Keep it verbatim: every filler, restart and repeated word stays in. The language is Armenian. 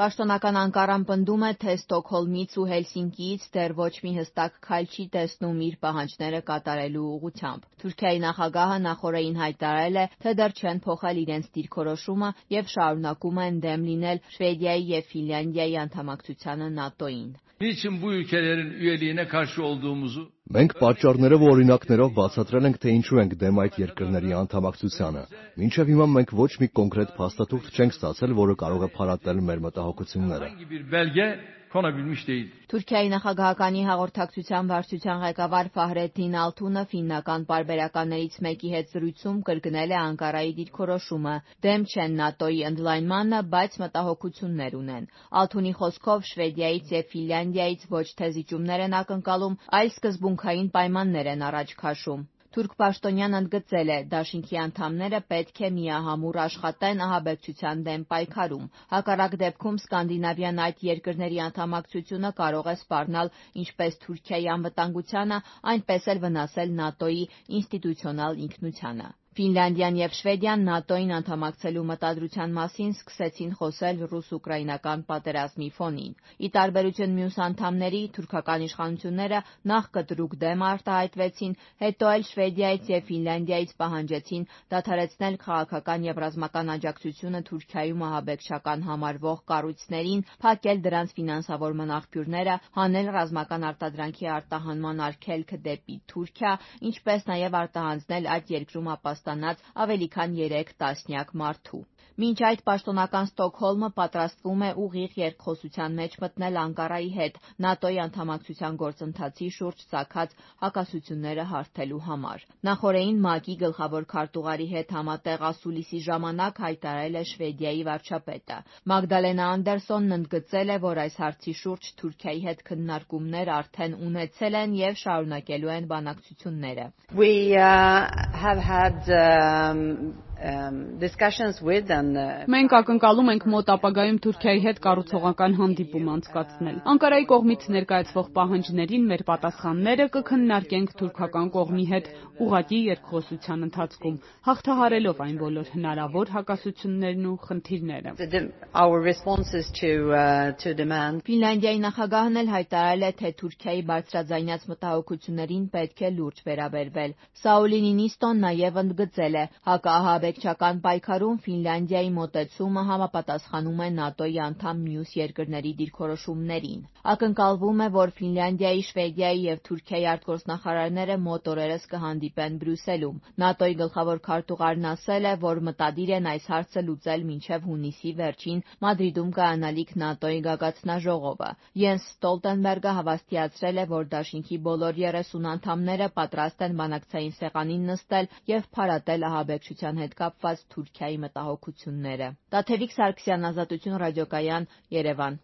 Պաշտոնական Անկարան պնդում է, թե Ստոկհոլմից ու Հելսինկիից դեռ ոչ մի հստակ քայլ չի տեսնում իր պահանջները կատարելու ուղղությամբ։ Թուրքիայի նախագահը նախօրեին հայտարարել է, թե դեռ չեն փոխել իրենց դիրքորոշումը եւ շարունակում են դեմ լինել Շվեդիայի եւ Ֆինլանդիայի անդամակցությանը ՆԱՏՕ-ին։ Մենք պատճառներով ու օրինակներով բացատրել ենք, թե ինչու ենք դեմ այդ երկրների անդամակցությանը։ Մինչև հիմա մենք ոչ մի կոնկրետ փաստաթուղթ չենք ստացել, որը կարող է փարատել մեր մտահոգությունները։ Թուրքիայի նախագահականի հաղորդակցության վարչության ղեկավար Ֆահրեդդին Ալթունը ֆիննական պարբերականներից մեկի հետ զրույցում կրկնել է Անկարայի դիրքորոշումը։ Դեմ չեն ՆԱՏՕ-ի ընդլայնմանը, բայց մտահոգություններ ունեն։ Ալթունի խոսքով Շվեդիայից եւ Ֆինլանդիայից ոչ թե զիջումներ են ակնկալում, այլ սկզբունքային պայմաններ են առաջ քաշում։ Թուրք պաշտոնյան ընդգծել է՝ դաշինքի անդամները պետք է միահամուռ աշխատեն ահաբեկչության դեմ պայքարում։ Հակառակ դեպքում Սկանդինավյան այդ երկրների անդամակցությունը կարող է սպառնալ ինչպես Թուրքիայի անվտանգությանը, այնպես էլ վնասել ՆԱՏՕ-ի ինստիտուցիոնալ ինքնությանը։ Ֆինլանդիան եւ Շվեդիան ՆԱՏՕ-ին անդամակցելու մտադրության մասին սկսեցին խոսել ռուս-ուկրաինական պատերազմի ֆոնին։ Ի տարբերություն մյուս անդամների, թուրքական իշխանությունները նախ կտրուկ դեմ արտահայտվեցին, հետո էլ Շվեդիայից եւ Ֆինլանդիայից պահանջեցին դադարեցնել քաղաքական եւ ռազմական աջակցությունը Թուրքիայում ահաբեկչական համարվող կառույցներին, փակել դրանց ֆինանսավորման աղբյուրները, հանել ռազմական արտադրանքի արտահանման արգելքը դեպի Թուրքիա, ինչպես նաեւ արտահանձնել այդ երկրում ապաստանած ավելի քան երեք տասնյակ մարդու։ Մինչ այդ պաշտոնական Ստոկհոլմը պատրաստվում է ուղիղ երկխոսության մեջ մտնել Անկարայի հետ ՆԱՏՕ-ի անդամակցության գործընթացի շուրջ ծագած հակասությունները հարթելու համար։ Նախօրեին ՄԱԿ-ի գլխավոր քարտուղարի հետ համատեղ ասուլիսի ժամանակ հայտարարել է Շվեդիայի վարչապետը։ Մագդալենա Անդերսոնն ընդգծել է, որ այս հարցի շուրջ Թուրքիայի հետ քննարկումներ արդեն ունեցել են եւ շարունակելու են բանակցությունները։ We uh, have had um, um, discussions with and Մենք ակնկալում ենք մոտ ապագայում Թուրքիայի հետ կառուցողական հանդիպում անցկացնել։ Անկարայի կողմից ներկայացվող պահանջներին մեր պատասխանները կքննարկենք թուրքական կողմի հետ ուղղակի երկխոսության ընթացքում, հաղթահարելով այն բոլոր հնարավոր հակասություններն ու խնդիրները։ our responses to uh, to demand. Ֆինլանդիայի նախագահն էլ հայտարարել է, թե Թուրքիայի բարձրաձայնած մտահոգություններին պետք է լուրջ վերաբերվել։ Սաուլի Նինիստոն նաև ընդգծել է, հակաահաբեկչական պայքարում Ֆինլանդիայի մոտեցումը համապատասխանում է ՆԱՏՕ-ի անդամ մյուս երկրների դիրքորոշումներին։ Ակնկալվում է, որ Ֆինլանդիայի, Շվեդիայի եւ Թուրքիայի արտգործնախարարները մոտ օրերս կհանդիպեն Բրյուսելում։ ՆԱՏՕ-ի գլխավոր քարտուղարն ասել է, որ մտադիր են այս հարցը լուծել մինչև հունիսի վերջին Մադրիդում կայանալիք ՆԱՏՕ-ի գագաթնաժողովը։ Յենս Ստոլտենբերգը հավաստիացրել է, որ դաշինքի բոլոր երեսուն անդամները պատրաստ են բանակցային սեղանին նստել եւ փարատել ահաբեկչության հետ կապված Թուրքիայի մտահոգությունները։ Տաթևիկ Սարգսյան, Ազատություն ռադիոկայան, Երևան։